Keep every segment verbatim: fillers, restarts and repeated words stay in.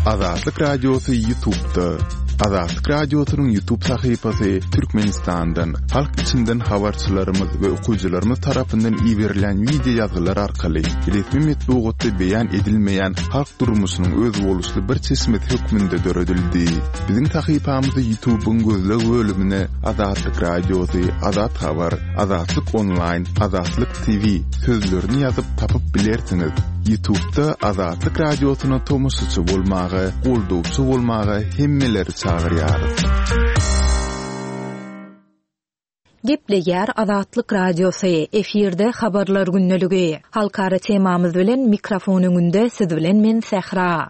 Azatlyk Radiosy YouTube'da. Azatlyk Radiosynyň YouTube sahypasy Türkmenistandan, halk içinden habarçylarymyz we okyjylarymyz tarapyndan iberilen wideo ýazgylar arkaly resmi metbugatda beýan edilmeýän halk durmuşynyň özboluşly bir çeşmesi hökmünde döredildi. Biziň sahypamyzy YouTube'yň gözleg bölümine Azatlyk Radiosy, Azat Habar, Azatlyk Online, Azatlyk T V sözlerini ýazyp tapyp bilersiňiz. YouTube'da Azatlyk Radiosyna tomaşaçy bolmaga, goldawçy bolmaga hemmeleri çagyrýarys. Gepleýär Azatlyk Radiosy, efirde habarlar gündeligi. Halkara temamyz bilen mikrofon öňünde siz bilen men Sähra.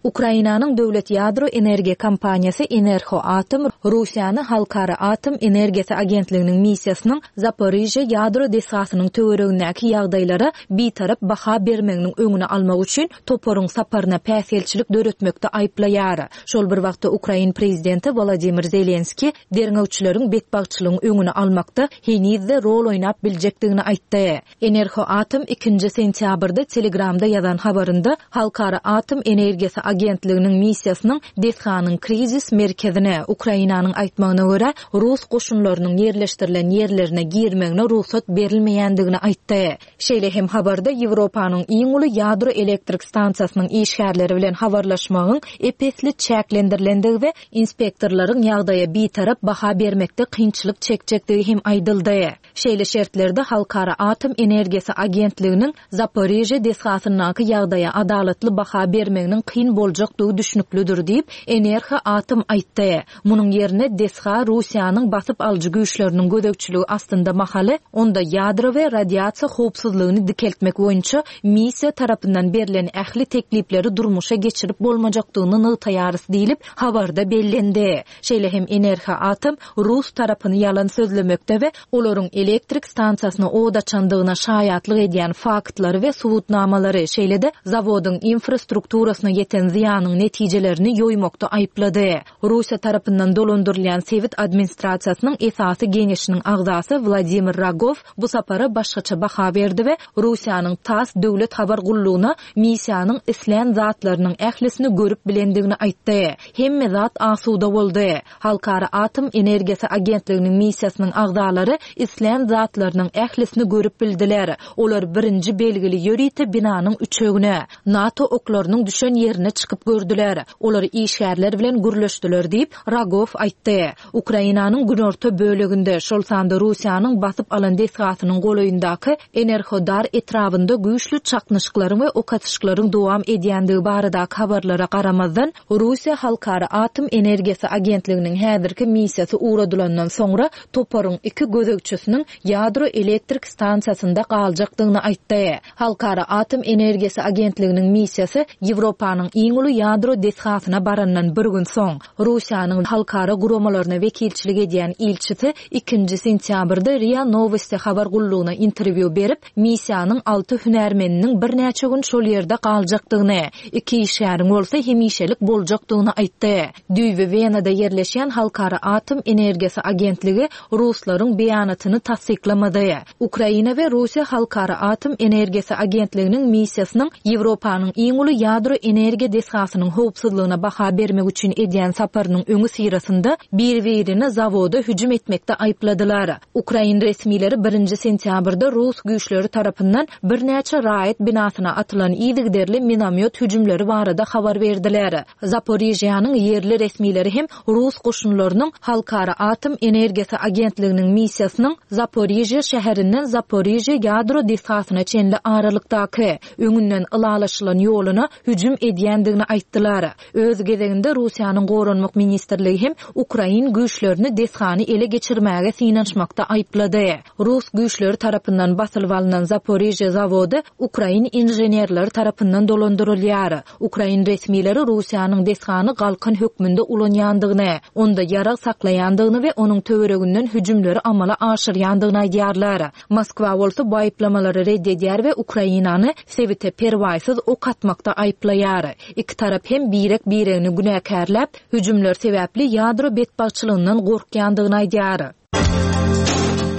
Ukrainanyň döwlet ýadro energiýa kompaniýasy Energoatom Russiýany Halkara Atom Energiýasy Agentliginiň missiýasynyň Zaporijýa ýadro desgasynyň töweregindäki ýagdaýlara bitarap baha bermeginiň öňüni almak üçin toparyň saparyna päsgelçilik döretmekde aýyplaýar. Şol bir wagtda Ukrain prezidenti Wladimir Zelenski derňewçileriň betbagtçylygyň öňüni almakda henizde rol oýnap biljekdigini aýtdy. Energoatom ikinji sentýabrda Telegramda ýazan habarynda Halkara Atom Energiýasy Agentliginiň missiýasynyň desganyň krizis merkezine Ukrainanyň aýtmagyna görä Rus goşunlarynyň ýerleşdirilen ýerlerine girmegine rugsat berilmeýändigini aýtdy. Şeýle hem habarda Ýewropanyň iň uly ýadro elektrik stansiýasynyň işgärleri bilen habarlaşmagyň epesli çäklendirilendigi we inspektorlaryň ýagdaýa bitarap baha bermekde kynçylyk çekjekdigi hem aýdyldy. Şeýle şertlerde Halkara Atom Energiýasy Agentliginiň Zaporijýa desgasyndaky ýagdaýa adalatly baha bermeginiň kyn boljakdygy düşnüklidir diýip, Energoatom aýtdy. Munuň ýerine desga Russiýanyň basyp alyjy güýçleriniň gözegçiligi astynda mahaly, onda ýadro we radiasiýa howpsuzlygyny dikeltmek boýunça missiýa tarapyndan berlen ähli teklipleri durmuşa geçirip bolmajakdygyny nygtaýarys diýlip habarda bellendi. Şeýle hem Energoatom Rus tarapyny ýalan sözlemekde we olaryň elektrik stansiýasyna od açandygyna şaýatlyk edýän faktlary we subutnamalary, şeýle-de zawodyň infrastrukturasyna ýeten zyýanyň netijelerini ýoýmakda aýyplady. Russiýa tarapyndan dolandyrylýan sebit administrasiýasynyň esasy geňeşiniň agzasy Wladimir Rogow bu sapara başgaça baha berdi we Russiýanyň TASS döwlet habar gullugyna missiýanyň islän zatlarynyň ählisini görüp bilendigini aýtdy. Hemme zat asuda boldy. Halkara Atom Energiýasy Agentliginiň missiýasynyň agzalary islän zatlarynyň ählisini görüp bildiler. Olar birinji belgili ýörite binanyň üçegine, NATO oklarynyň düşen ýerine çykyp gördüler. Olar işgärler bilen gürleşdiler diýip Rogow aýtdy. Ukrainanyň günorta böleginde, şol sanda Russiýanyň basyp alan desgasynyň golaýyndaky Enerhodar etrabynda güýçli çaknyşyklaryň we ok atyşyklaryň dowam edýändigi baradaky habarlara garamazdan, Russiýa Halkara Atom Energiýasy Agentliginiň häzirki missiýasy ugradylandan soňra toparyň iki gözegçisiniň ýadro elektrik stansiýasynda galjakdygyny aýtdy. Halkara Atom Energiýasy Agentliginiň missiýasy Ýewropanyň iň uly ýadro desgasyna barandan bir gün soň, Russiýanyň halkara guramalaryna wekilçilik edýän ilçisi ikinji sentýabrda RIA Novosti habar gullugyna interwýu berip, missiýanyň alty hünärmeniniň birnäçe gün şol ýerde galjakdygyny, iki işgäriň bolsa hemişelik boljakdygyny aýtdy. Düýbi Wenada ýerleşýän Halkara Atom Energiýasy Agentligi Ruslaryň beýanatyny tassyklamady. Ukraina we Russiýa Halkara Atom Energiýasy Agentliginiň missiýasynyň Ýewropanyň iň uly ýadro energiýa desgasynyň howpsuzlygyna baha bermek üçin edýän saparynyň öňi syrasynda bir-birini zawoda hüjüm etmekde aýypladylar. Ukrain resmileri birinji sentýabrda Rus güýçleri tarapyndan birnäçe raýat binasyna atylan yzygiderli minomyot hüjümleri barada habar berdiler. Zaporijýanyň ýerli resmileri hem Rus goşunlarynyň Halkara Atom Energiýasy Agentliginiň missiýasynyň Zaporijýa şäherinden Zaporijýa ýadro desgasyna çenli aralykdaky öňünden ylalaşylan ýoluna hüjüm edýändigini aýtdylar. Öz gezeginde Russiýanyň Goranmak Ministrligi hem Ukrain güýçlerini desgany ele geçirmäge synanyşmakda aýyplady. Rus güýçleri tarapyndan basylyp alynan Zaporijýa zawody Ukrain inženerleri tarapyndan dolandyrylýar. Ukrain resmileri Russiýanyň desgany galkan hökmünde ulanýandygyny, onda ýarag saklaýandygyny we onuň töwereginden hüjümleri amala aşyrýandygyny aýdýarlar. Moskwa bolsa bu aýyplamalary red edýär we Ukrainany sebite perwaýsyz ok atmakda aýyplaýar. Iki tarap hem birek-biregini günäkärläp, hüjümler sebäpli ýadro betbagtçylygyndan gorkýandygyny aýdýar.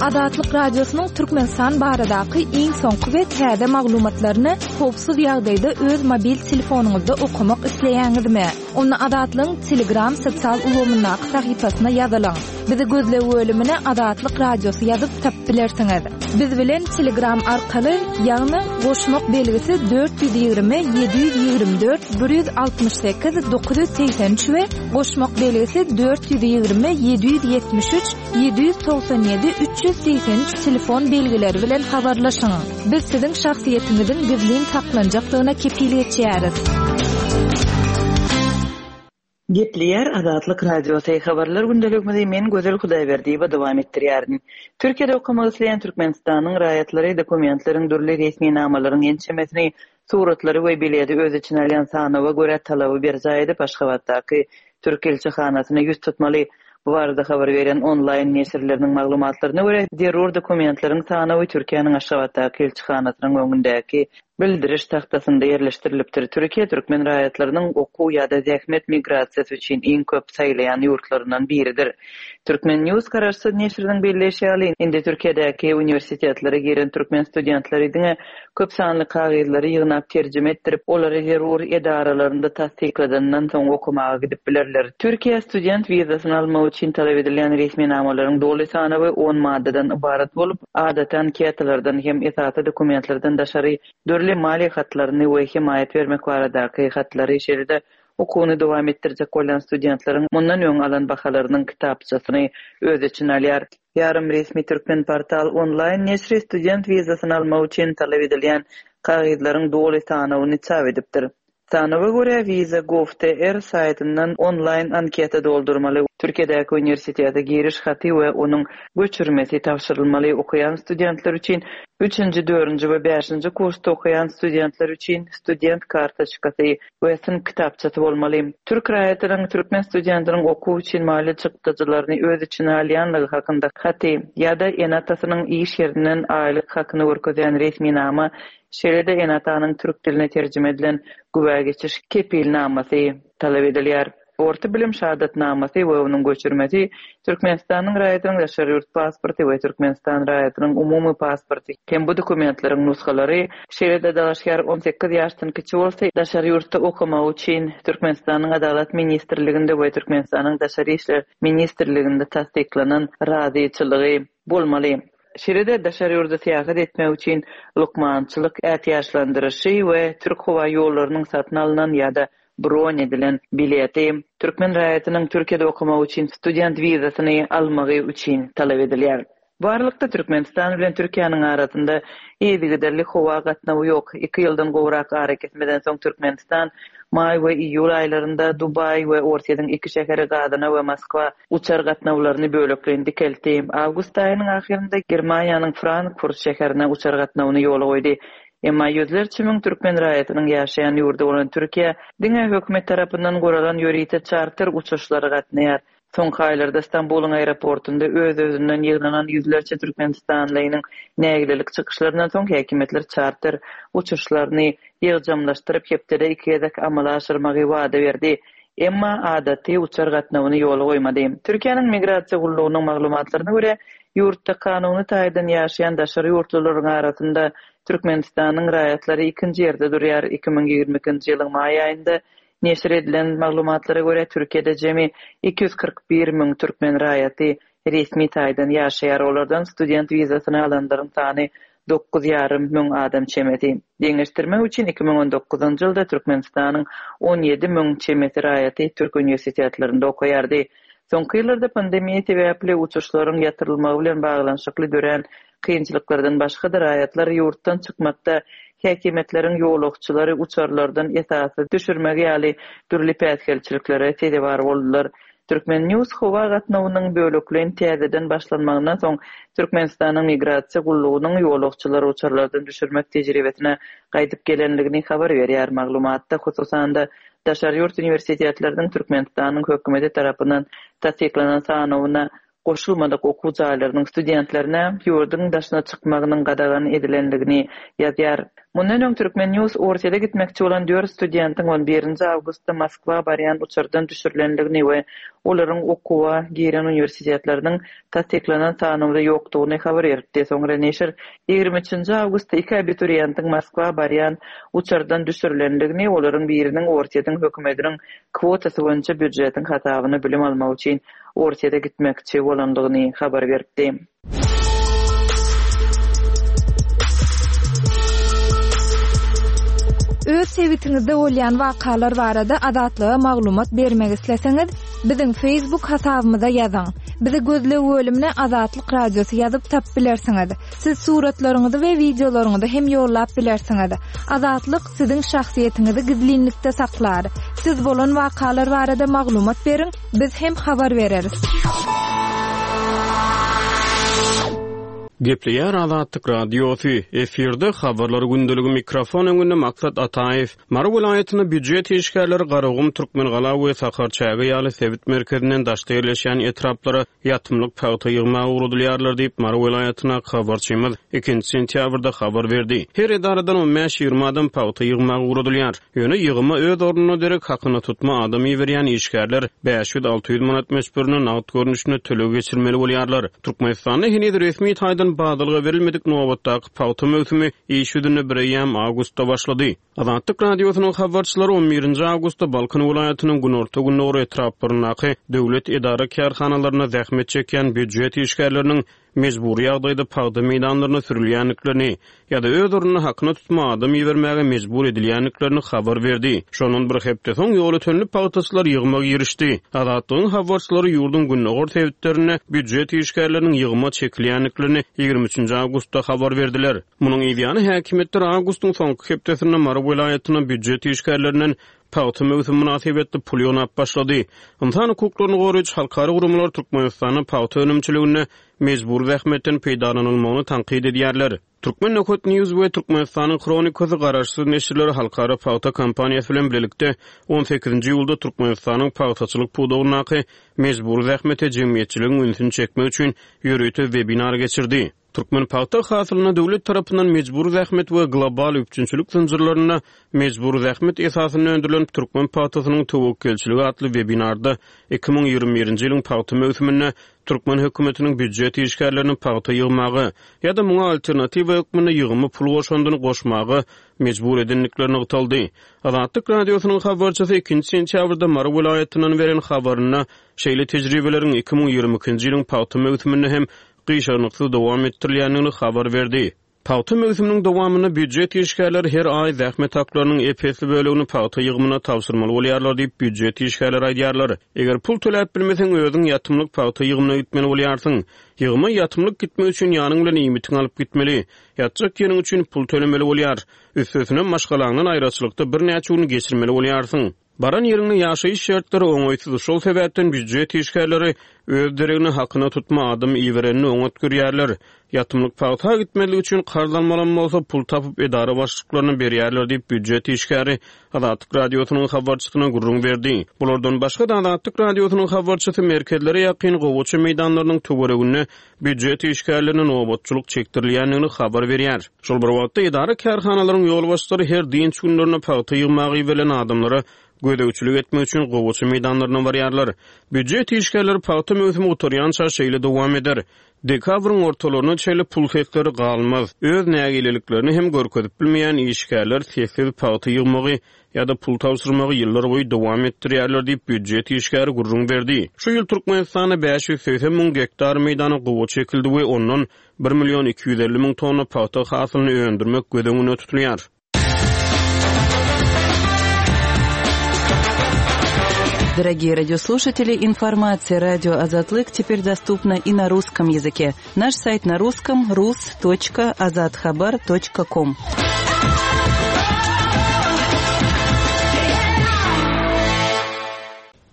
Azatlyk Radiosynyň Türkmenistan baradaky iň soňky we täze maglumatlaryny howpsuz ýagdaýda öz mobil telefonyňyzda okamak isleýäňizmi? Onda Azatlygyň Telegram sosial ulgamyndaky sahypasyna ýazylyň. Bizi gözleg bölümine Azatlyk Radiosy ýazyp tapyp bilersiňiz. Biz bilen Telegram arkaly, ýagny goşmak belgisi dört ýüz ýigrimi ýedi ýüz ýigrimi dört bir ýüz altmyş sekiz dokuz ýüz segsen üç we goşmak belgisi dört ýüz ýigrimi ýedi ýüz ýetmiş üç ýedi ýüz togsan ýedi üç ýüz segsen üç telefon belgileri bilen habarlaşyň. Biz siziň şahsyýetiňiziň gizlin saklanjakdygyna kepil geçýäris. Gepleýär Azatlyk Radiosy habarlar gündeligimizi men Gözel Hudaýberdiýewa dowam etdirýärin. Türkiýede okamak isleýän Türkmenistanyň raýatlary dokumentleriň dürli resminamalaryň ençemesini, suratlary we bileti öz içine alýan sanawa görä talaby berjaý edip Aşgabatdaky Türk ilçihanasyna ýüz tutmaly. Bu barada habar beren onlaýn neşirleriniň maglumatlaryna görä zerur dokumentleriň sanawy Türkiýäniň Aşgabatdaky ilçihanasynyň öňündäki bildiriş tagtasynda ýerleşdirilipdir. Türkiýe türkmen raýatlarynyň okuw ýa-da zähmet migrasiýasy üçin iň köp saýlaýan ýurtlaryndan biridir. Türkmen News garaşsyz neşiriniň belleýşi ýaly, indi Türkiýedäki uniwersitetlere giren türkmen studentleri diňe köp sanly kagyzlary ýygnap terjime etdirip, olary zerur edaralarynda tassykladandan soň okamaga gidip bilerler. Türkiýe student wizasyny almak üçin talap edilýän resminamalaryň doly sanawy on maddadan ybarat bolup, adaty anketalardan hem esasy dokumentlerden daşary dürli maliýe hatlaryny we hemaýat bermek baradaky hatlary, şeýle-de okuwyny dowam etdirjek bolýan studentleriň mundan öň alan bahalarynyň kitapçasyny öz içine alýar. Ýarym resmi Türkmen portal onlaýn neşiri student wizasyny almak üçin talap edilýän kagyzlaryň doly sanawyny çap edipdir. Sanawa görä Visa gov nokta T R saýtyndan onlaýn anketa doldurmaly, Türkiýedäki uniwersitete giriş haty we onuň göçürmesi tabşyrylmaly, okaýan studentler üçin üçünji, dördünji we bäşinji kursda okaýan studentler üçin student kartoçkasy we synp kitapçasy bolmaly. Türk raýatynyň türkmen studentiniň okuw üçin maliýe çykdajylaryny öz içine alýanlygy hakynda haty ýa-da ene-atasynyň iş ýerinden aýlyk hakyny görkezýän resminama, şeýle-de ene-atanyň türk diline terjime edilen güwä geçiş kepilnamasy talap edilýär. Orta bilim şahadatnamasy we onuň göçürmesi, Türkmenistanyň raýatynyň daşary ýurt pasporty we Türkmenistan raýatynyň umumy pasporty hem bu dokumentleriň nusgalary, şeýle-de dalaşgär on sekiz ýaşdan kiçi bolsa, daşary ýurtda okamak üçin Türkmenistanyň Adalat Ministrliginde we Türkmenistanyň Daşary işler Ministrliginde tassyklanan razyçylygy bolmaly. Şeýle-de daşary ýurda syýahat etmek üçin lukmançylyk ätiýaçlandyryşy we Türk howa ýollarynyň satyn alynan ýa-da bron edilen bileti türkmen raýatynyň Türkiýede okamak üçin student wizasyny almagy üçin talap edilýär. Bu aralykda Türkmenistan bilen Türkiýäniň arasynda yzygiderli howa gatnawy ýok. Iki ýyldan gowrak ara kesmeden soň Türkmenistan maý we iýul aýlarynda Dubaý we Orsýetiň iki şäheri Gazana we Moskwa uçar gatnawlaryny bölekleýin dikeltdi. Awgust aýynyň ahyrynda Germaniýanyň Frankfurt şäherine uçar gatnawyny ýola goýdy. Emma ýüzlerçe müň türkmen raýatynyň ýaşaýan ýurdy bolan Türkiýe diňe hökümet tarapyndan guralan ýörite çarter uçuşlary gatnaýar. Soňky aýlarda Stambulyň aeroportunda öz-özünden ýygnanan ýüzlerçe türkmenistanlynyň nägilelik çykyşlaryndan soň häkimiýetler çarter uçuşlaryny ýygjamlaşdyryp hepdede iki gezek amala aşyrmagy wada berdi. Emma adaty uçar gatnawyny ýola goýmady. Türkiýäniň migrasiýa gullugynyň maglumatlaryna görä, ýurtda kanuny taýdan ýaşaýan daşary ýurtlularyň arasynda Türkmenistanyň raýatlary ikinji ýerde durýar. Iki müň ýigrimi ikinji ýylyň maý aýynda neşir edilen maglumatlara görä Türkiýede jemi iki ýüz kyrk bir müň türkmen raýaty resmi taýdan ýaşaýar. Olardan student wizasyny alanlaryň sany dokuz ýarym müň adam çemesi. Deňeşdirmek üçin iki müň on dokuzynjy ýylda Türkmenistanyň on ýedi müň çemesi raýaty türk uniwersitetlerinde okaýardy. Soňky ýyllarda pandemiýa sebäpli uçuşlaryň ýatyrylmagy bilen baglanyşykly dörän kynçylyklardan başga-da raýatlar ýurtdan çykmakda häkimiýetleriň ýolagçylary uçarlardan esasy düşürmegi ýaly dürli päsgelçiliklere sezewar boldular. Türkmen News howa gatnawynyň bölekleýin täzeden başlanmagyndan soň Türkmenistanyň migrasiýa gullugynyň ýolagçylary uçarlardan düşürmek tejribesine gaýdyp gelenligini habar berýär. Maglumatda hususan-da daşary ýurt uniwersitetleriniň Türkmenistanyň hökümeti tarapyndan tassyklanan sanawyna goşulmadyk okuw jaýlarynyň studentlerine ýurduň daşyna çykmagynyň gadagan edilenligini ýazýar. Mundan öň Türkmen News Orsýete gitmekçi bolan dört studentiň on birinji awgustda Moskwa barýan uçardan düşürilendigini we olaryň okuwa giren uniwersitetleriniň tassyklanan sanawda ýokdugyny habar beripdi. Soňra neşir ýigrimi üçünji awgustda iki abituriýentiň Moskwa barýan uçardan düşürilendigini, olaryň biriniň Orsýetiň hökümetiniň kwotasy boýunça býujetiň hasabyna bilim almak üçin Orsýete gitmekçi bolandygyny habar beripdi. Öz sebitiňizde bolýan wakalar barada Azatlyga maglumat bermek isleseňiz, biziň Facebook hasabymyza ýazyň. Bizi gözleg bölümine Azatlyk Radiosy ýazyp tap bilersiňiz. Siz suratlaryňyzy we wideolaryňyzy hem ýollap bilersiňiz. Azatlyk siziň şahsyýetiňizi gizlinlikde saklar. Siz bolan wakalar barada maglumat beriň, biz hem habar bereris. Gepleýär Azatlyk Radiosy, efirde habarlar gündeligi mikrofon öňünde Maksat Ataýew. Mary welaýatynda býujet işgärleri Garagum, Türkmengala we Sakarçäge ýaly sebit merkezinden daşda ýerleşýän etraplara ýatymlyk pagta ýygmaga ugradylýarlar diýip Mary welaýatyna habarçymyz ikinji sentýabrda habar berdi. Her edaradan on bäş ýigrimi adam pagta ýygmaga ugradylýar. Ýöne ýygyma öz ornuna derek hakyna tutma adam iberýän işgärler bäş ýüz alty ýüz manat möçberine nagt görnüşinde töleg geçirmeli bolýarlar. Türkmenistanda heniz resmi taýdan badalga berilmedik nobatdaky pagta möwsümi iş ýüzünde bir eýýäm awgustda başlady. Azatlyk Radiosynyň habarçylary on birinji awgustda Balkan welaýatynyň günorta-gündogar etraplaryndaky döwlet edara kärhanalarynda zähmet çekýän býujet işgärleriniň mejbury ýagdaýda pagta meýdanlaryna sürülýändiklerini ýa-da öz ornuna hakyna tutma adam ibermäge mejbur edilýändiklerini habar berdi. Şondan bir hepde soň ýoly tönlü pagtaçylar ýygma girişdi. Azatlygyň habarçylary ýurduň gündogar sebitlerinde býujet işgärleriniň ýygma çekilýändiklerini ýigrimi üçünji awgustda habar berdiler. Munuň ýany häkimiýetler awgustyň soňky hepdesinde Mary welaýatyna býujet işgärlerinden pagta möwsümi mynasybetli pul ýygnap başlady. Ynsan hukuklaryny goraýjy halkara guramalar Türkmenistanda pagta önümçiliginde mejbur zähmetden peýdalanylmagyny tankyt edýärler. Türkmen Nökot News we Türkmenistanyň Hronikasy garaşsyz neşirleri halkara pagta kompaniýasy bilen birlikde on sekizinji iýulda Türkmenistanyň pagtaçylyk pudagyndaky mejbur zähmete jemgyýetçiligiň ünsüni çekmek üçin ýörite webinar geçirdi. Türkmen pagta hasylyna döwlet tarapyndan mejbur zähmet we global üpjünçilik zynjyrlarynda mejbur zähmet esasynda öndürilen Türkmen pagtasynyň töwekgelçiligi atly webinarda iki müň ýigrimi birinji ýylyň pagta möwsüminde Türkmen hökümetiniň býujet işgärlerini pagta ýygmaga ýa-da muňa alternatiwa hökmünde ýygymy pul goşandyny goşmaga mejbur edendikleri nygtaldy. Azatlyk Radiosynyň habarçysy ikinji sentýabrda Mary welaýatyndan beren habarynda şeýle tejribeleriň iki müň ýigrimi ikinji ýylyň pagta möwsüminde hem gyşarnyksyz dowam etdirilýändigini habar berdi. Pagta möwsüminiň dowamynda býujet işgärleri her aý zähmet haklarynyň ep-esli bölegini pagta ýygymyna tabşyrmaly bolýarlar diýip býujet işgärleri aýdýarlar. Eger pul töläp bilmeseň özüň ýatymlyk pagta ýygymyna gitmeli bolýarsyň. Ýygyma ýatymlyk gitmek üçin ýanyň bilen iýmitiňi alyp gitmeli. Ýatjak ýeriň üçin pul tölemeli bolýar. Üstesine maşgalaňdan aýraçylykda birnäçe gün geçirmeli bolýarsyň. Baran ýeriňde ýaşaýyş şertleri oňaýsyz, şol sebäpden býujet işgärleri öz deregine hakyna tutma adam iberenini oňat görýärler. Ýatymlyk pagta gitmezlik üçin karz almalam bolsa pul tapyp edara başlyklaryna berýärler diýip býujet işgäri Azatlyk Radiosynyň habarçysyna gürrüň berdi. Bulardan başga da Azatlyk Radiosynyň habarçysy merkezlere ýakyn gowaça meýdanlarynyň töwereginde býujet işgärlerine nobatçylyk çekdirilýändigini habar berýär. Şol bir wagtda edara kärhanalaryň ýolbaşçylary her dynç günlerinde pagta ýygmaga iberilen adamlara gözegçilik etmek üçin gowaça meýdanlaryna barýarlar. Býujet işgärleri pagta möwsümi gutarýança şeýle dowam eder. Dekabryň ortalaryna çenli pul sesleri galmaz. Öz nägileliklerini hem görkezip bilmeýän işgärler sessiz pagta ýygmagy ýa-da pul tabşyrmagy ýyllar boýy dowam etdirýärler diýip býujet işgäri gürrüň berdi. Şu ýyl Türkmenistanda bäş ýüz segsen müň gektar meýdana gowaça çekildi we ondan bir million iki ýüz elli müň tonna pagta hasylyny öndürmek göz öňünde tutulýar. Дорогие радиослушатели, информация радио Азатлык теперь доступна и на русском языке. Наш сайт на русском рус точка азатхабар точка ком.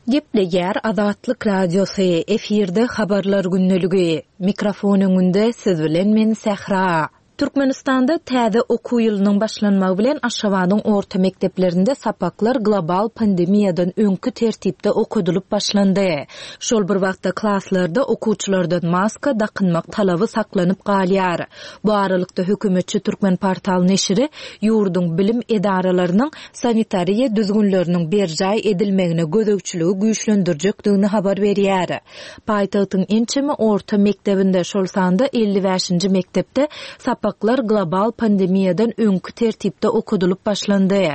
Gepleýär Azatlyk Radiosy, efirde habarlar gündeligi. Mikrofon öňünde siz bilen men Sähra. Türkmenistanda täze okuw ýylynyň başlanmagy bilen Aşgabadyň orta mekdeplerinde sapaklar global pandemiýadan öňki tertipde okadylyp başlandy. Şol bir wagtda klaslarda okuwçylardan maska dakynmak talaby saklanyp galýar. Bu aralykda hökümetçi Türkmenportal neşiri ýurduň bilim edaralarynyň sanitariýa düzgünleriniň berjaý edilmegine gözegçiligi güýçlendirjekdigini habar berýär. Paýtagtyň ençeme orta mekdebinde, şol sanda elli bäşinji mekdepde sapaklar global pandemiýadan öňki tertipde okadylyp başlandy.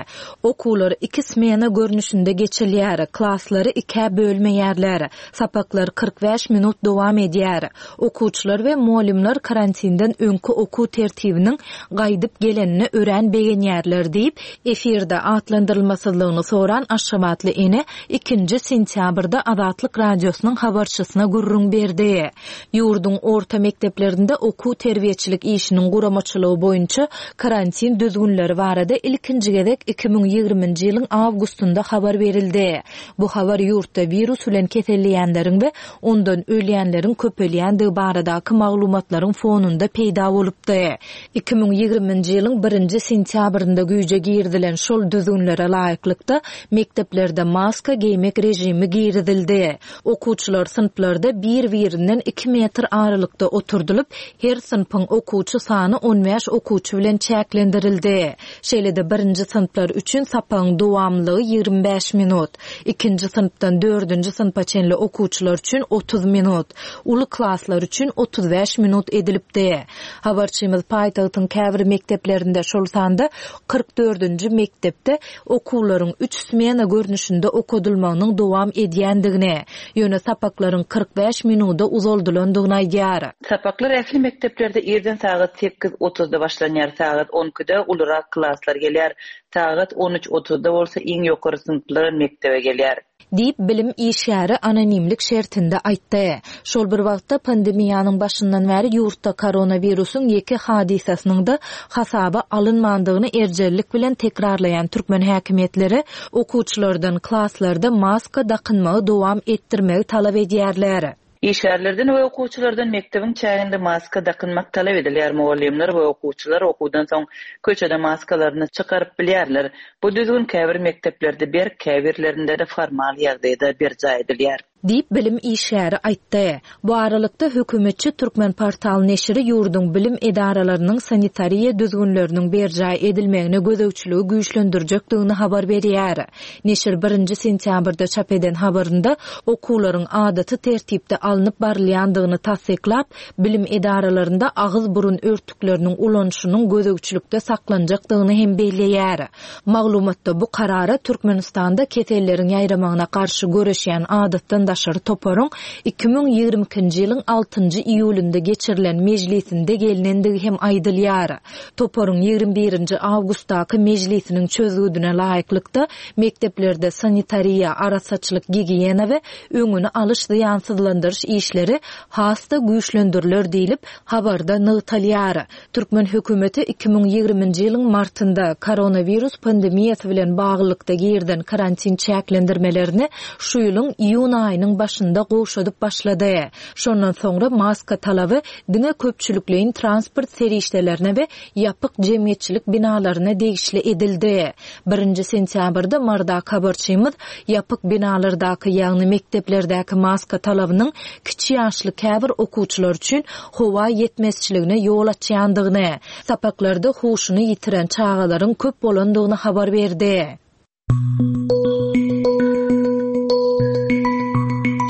Okuwlar iki smena görnüşinde geçilýär, klaslary ikä bölmeýärler. Sapaklar kyrk bäş minut dowam edýär. Okuwçylar we muallimler karantinden öňki okuw tertibiniň gaýdyp gelenine örän begenýärler diýip, efirde atlandyrylmasyzlygyny soran Aşgabatly ene ikinji sentýabrda Azatlyk radiosynyň habarçysyna gürrüň berdi. Ýurduň orta mekdeplerinde okuw terbiýeçilik işiniň guramaçylygy boýunça karantin düzgünleri barada ilkinji gezek iki müň ýigriminji ýylyň awgustynda habar berildi. Bu habar ýurtda wirus bilen keselleýänleriň we ondan ölýänleriň köpelýändigi baradaky maglumatlaryň fonunda peýda bolupdy. Iki müň ýigriminji ýylyň birinji sentýabrynda güýje girizilen şol düzgünlere laýyklykda mekdeplerde maska geýmek rejimi girizildi. Okuwçylar synplarda bir-birinden iki metr aralykda oturdylyp, her synpyň okuwçy sany on bäş okuwçy bilen çäklendirildi. Şeýle-de birinji synplar üçin sapagyň dowamlylygy ýigrimi bäş minut, ikinji synpdan dördünji synpa çenli okuwçylar üçin otuz minut, uly klaslar üçin otuz bäş minut edilipdi. Habarçymyz paýtagtyň käbir mekdeplerinde, şol sanda kyrk dördünji mekdepde okuwlaryň üç smena görnüşinde okadylmagynyň dowam edýändigini, ýöne sapaklaryň kyrk bäş minuda uzaldylandygyny aýdýar. Sapaklar ähli mekdeplerde irden sagat sekiz otuzda başlanýar, sagat on ikide ulurak klaslar gelýär, sagat on üç otuzda bolsa iň ýokary synplar mekdebe gelýär. Diýip bilim işgäri anonimlik şertinde aýtdy. Şol bir wagtda pandemiýanyň başyndan bäri ýurtda koronawirusyň ýeke hadysasynyň da hasaba alynmandygyny erjellik bilen tekrarlaýan türkmen häkimiýetleri okuwçylardan klaslarda maska dakynmagy dowam etdirmegi talap edýärler. Işgärlerden we okuwçylardan mekdebiň çäginde maska dakynmak talap edilýär. Mugallymlar we okuwçylar okuwdan soň köçede maskalaryny çykaryp bilýärler. Bu düzgün käbir mekdeplerde berk, käbirlerinde de formal ýagdaýda berjaý edilýär. Diýip bilim işgäri aýtdy. Bu aralykda hökümetçi Türkmenportal neşiri ýurduň bilim edaralarynyň sanitariýa düzgünleriniň berjaý edilmegine gözegçiligi güýçlendirjekdigini habar berýär. Neşir birinji sentýabrda çap eden habarynda okuwlaryň adaty tertipde alnyp barylýandygyny tassyklap, bilim edaralarynda agyz burun örtükleriniň ulanyşynyň gözegçilikde saklanjakdygyny hem belleýär. Maglumatda bu karara Türkmenistanda keselleriň ýaýramagyna garşy göreşýän adatdan daşary toparyň iki müň ýigrimi ikinji ýylyň altynjy iýulynda geçirilen mejlisinde gelinendigi hem aýdylýar. Toparyň ýigrimi birinji awgustdaky mejlisiniň çözgüdine laýyklykda mekdeplerde sanitariýa, arassaçylyk, gigiýena we öňüni alyş zyýansyzlandyryş işleri has-da güýçlendiriler diýlip habarda nygtalýar. Türkmen hökümeti iki müň ýigriminji ýylyň martynda koronawirus pandemiýasy bilen baglylykda girden karantin çäklendirmelerini şu ýylyň iýun aýynyň başynda gowşadyp başlady. Şondan soňra maska talaby diňe köpçülikleýin transport serişdelerine we ýapyk jemgyýetçilik binalaryna degişli edildi. Birinji sentýabrda Marda habarçymyz ýapyk binalardaky, ýagny mekdeplerdäki maska talabynyň kiçi ýaşly käbir okuwçylar üçin howa ýetmezçiligine ýol açýandygyny, sapaklarda huşuny ýitiren çagalaryň köp bolandygyny habar berdi.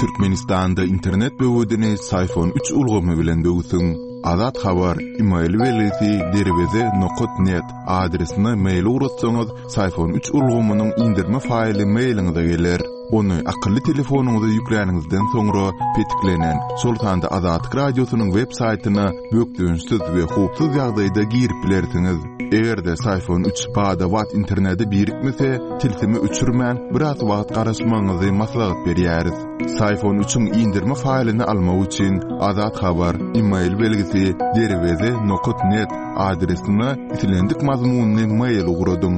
Türkmenistanda internet böwedini Syfon üç ulgamy bilen böwsüň. Azat Habar, e-mail belgisi derweze nokta net adresine mail ugratsaňyz, Syfon üç ulgamynyň indirme faýly mailiňize geler. Ony akylly telefonyňyza ýükläniňizden soňra petiklenen, şol sanda Azatlyk radiosynyň web saýtyna bökdençsiz we howpsuz ýagdaýda girip bilersiňiz. Eger-de Syfon üç bada-bat internete birikmese, tilsimi öçürmän biraz wagt garaşmagyňyzy maslahat berýäris. Syfon üçiň indirme faýlyny almak üçin Azat Habar, e-mail belgisi derweze nokta net adresine islendik mazmunyny mail ugradyň.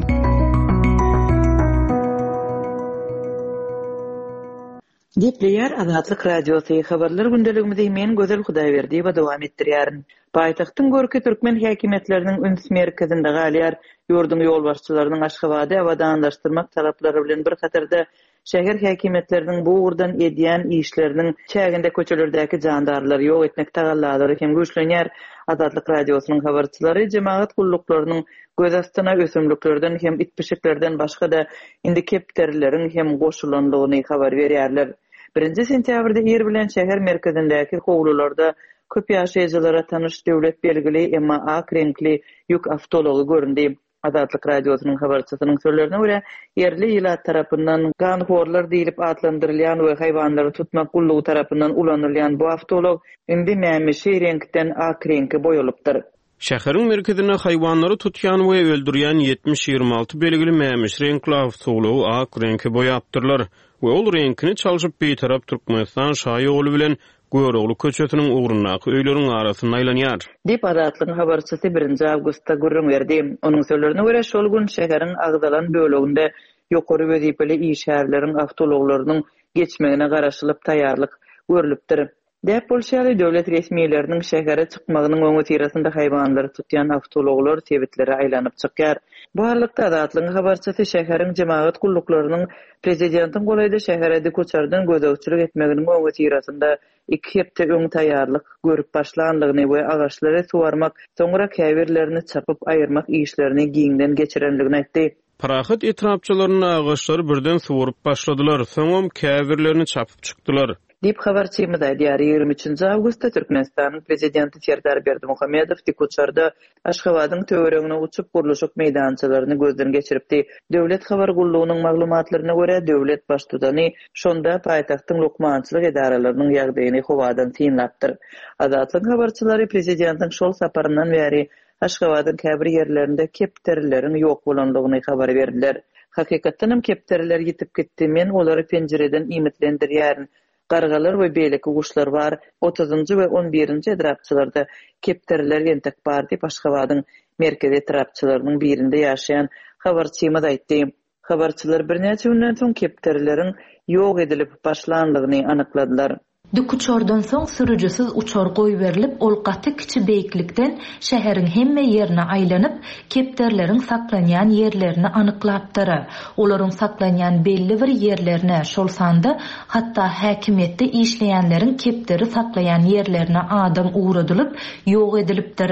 Gepleýär Azatlyk Radiosy habarlar gündeligimizi men Gözel Hudaýberdiýewa dowam etdirýärin. Paýtagtyň görki türkmen häkimiýetleriniň üns merkezinde galýar. Ýurduň ýolbaşçylarynyň Aşgabady abadanlaşdyrmak talaplary bilen bir hatarda şäher häkimiýetleriniň bu ugurdan edýän işleriniň çäginde köçelerdäki jandarlary ýok etmek tagallalary hem güýçlenýär. Azatlyk Radiosynyň habarçylary jemagat gulluklarynyň göz astyna ösümliklerden hem it-pişiklerden başga-da indi kepderileriň hem goşulandygyny habar berýärler. Birinji sentýabrda ir bilen şäher merkezindäki howlularda köp ýaşaýjylara tanyş döwlet belgili, emma ak reňkli ýük awtoulagy göründi. Azatlyk Radiosynyň habarçysynyň sözlerine görä, ýerli ilat tarapyndan ganhorlar diýlip atlandyrylýan we haýwanlary tutmak gullugy tarapyndan ulanylýan bu awtoulag indi mämişi reňkden ak reňke boýalypdyr. Şäheriň merkezinde haýwanlary tutýan we öldürýän ýetmiş ýigrimi alty belgili mämişi reňkli awtoulagy ak reňke boýapdyrlar we ol reňkini çalşyp Bitarap Türkmenistan şaýoly bilen Görogly köçesiniň ugrundaky öýleriň arasynda aýlanýar. Diýip, Azatlygyň habarçysy birinji awgustda gürrüň berdi. Onuň sözlerine görä, şol gün şäheriň agzalan böleginde ýokary wezipeli işgärleriň awtoulaglarynyň geçmegine garaşylyp taýýarlyk görlüpdir. Däp bolşy ýaly, döwlet resmileriniň şähere çykmagynyň öňüsyrasynda haýwanlary tutýan awtoulaglar sebitlere aýlanyp çykýar. Bu aralykda Azatlygyň habarçysy şäheriň jemagat gulluklarynyň prezidentiň golaýda şähere dikuçardan gözegçilik etmeginiň öňüsyrasynda iki hepde öň taýýarlyk görüp başlandygyny we agaçlary suwarmak, soňra käbirlerini çapyp aýyrmak işlerini giňden geçirendigini aýtdy. Parahat etrapçalarynda agaçlary birden suwaryp başladylar, soňam käbirlerini çapyp çykdylar. Diýip habarçymyz aýdýar. Ýigrimi üçünji awgustda Türkmenistanyň prezidenti Serdar Berdimuhamedow dikuçarda Aşgabadyň töweregine uçup gurluşyk meýdançalaryny gözden geçiripdi. Döwlet habar gullugynyň maglumatlaryna görä, döwlet baştutany şonda paýtagtyň lukmançylyk edaralarynyň ýagdaýyny howadan synlapdyr. Azatlygyň habarçylary prezidentiň şol saparyndan bäri Aşgabadyň käbir ýerlerinde kepderileriň ýok bolandygyny habar berdiler. Hakykatdan hem kepderiler ýitip gitdi. Men olary penjireden iýmitlendirýärin. Gargalar we beýleki guşlar bar. Otuzynjy we on birinji etrapçalarda kepderiler entek bar diýip Aşgabadyň merkezi etrapçalarynyň birinde ýaşaýan habarçymyz aýtdy. Habarçylar birnäçe günden soň kepderileriň ýok edilip başlandygyny anykladylar. Dikuçardan soň sürüjisiz uçar goýberilip, ol gaty kiçi beýiklikden şäheriň hemme ýerine aýlanyp, kepderileriň saklanýan ýerlerini anyklapdyr. Olaryň saklanýan belli bir ýerlerine, şol sanda hatda häkimiýetde işleýänleriň kepderi saklaýan ýerlerine adam ugradylyp, ýok edilipdir.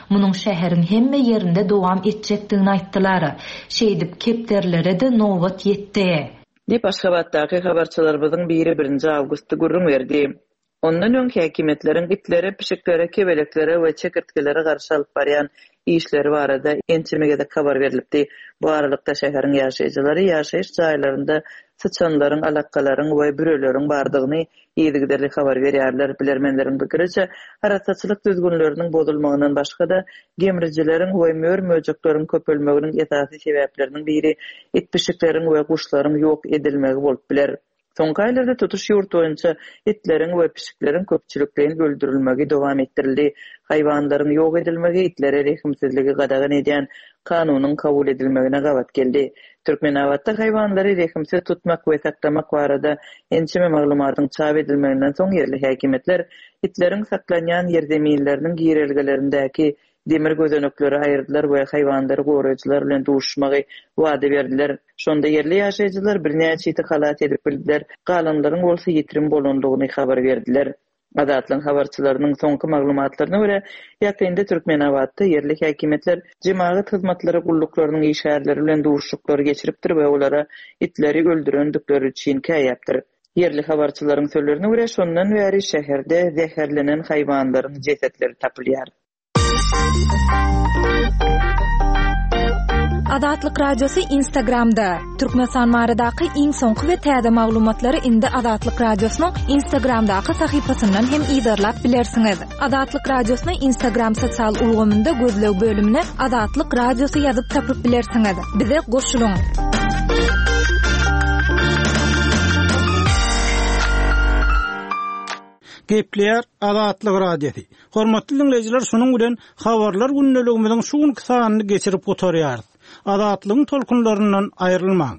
Munuň şäheriň hemme ýerinde dowam etjekdigini aýtdylar. Şeýdip kepderilere de nobat ýetdi. Diýip Aşgabatdaky habarçylarymyzyň biri birinji awgustda gürrüň berdi. Ondan öň häkimiýetleriň itlere, pişiklere, kebeleklere we çekirtgelere garşy alyp barýan işleri barada ençeme gezek habar berilipdi. Bu aralykda şäheriň ýaşaýjylary ýaşaýyş jaýlarynda syçanlaryň, alakalaryň we büreleriň bardygyny yzygiderli habar berýärler. Bilermenleriň pikiriçe, arassaçylyk düzgünleriniň bozulmagyndan başga-da gemrijileriň we mör-möjekleriň köpelmeginiň esasy sebäpleriniň biri it-pişikleriň we guşlaryň ýok edilmegi bolup biler. Soňky aýlarda tutuş ýurt boýunça itleriň we pişikleriň köpçülikleýin öldürilmegi dowam etdirildi. Haýwanlaryň ýok edilmegi itlere rehimsizligi gadagan edýän kanunyň kabul edilmegine gabat geldi. Türkmenabatda haýwanlary rehimsiz tutmak we saklamak barada ençeme maglumatyň çap edilmeginden soň ýerli häkimiýetler itleriň saklanýan ýerzeminleriniň girelgelerindäki demir gözenekleri aýyrdylar we haýwanlary goraýjylar bilen duşmagy wada berdiler. Şonda ýerli ýaşaýjylar birnäçe iti halat edip bildiler, galanlaryň bolsa ýitirim bolandygyny habar berdiler. Azatlygyň habarçylarynyň soňky maglumatlaryna görä, ýakynda Türkmenabatda ýerli häkimiýetler jemagat hyzmatlary gulluklarynyň işgärleri bilen duşuşyklary geçiripdir we olara itleri öldürendikleri üçin käýäpdir. Ýerli habarçylaryň sözlerine görä, şondan bäri şäherde zäherlenen haýwanlaryň jesetleri tapylýar. Azatlyk Radiosy Instagramda. Türkmenistan baradaky iň soňky we täze maglumatlary indi Azatlyk Radiosynyň Instagramdaky sahypasyndan hem yzarlap bilersiňiz. Azatlyk Radiosyny Instagram sosial ulgamynda gözleg bölümine Azatlyk Radiosy ýazyp tapyp bilersiňiz. Bize goşulyň. Gepleýär Azatlyk Radiosy. Hormatly dinleýjiler, şunuň bilen habarlar gündeligimiziň şu günki sanyny geçirip gutarýarys. Azatlygyň tolkunlaryndan aýrylmaň.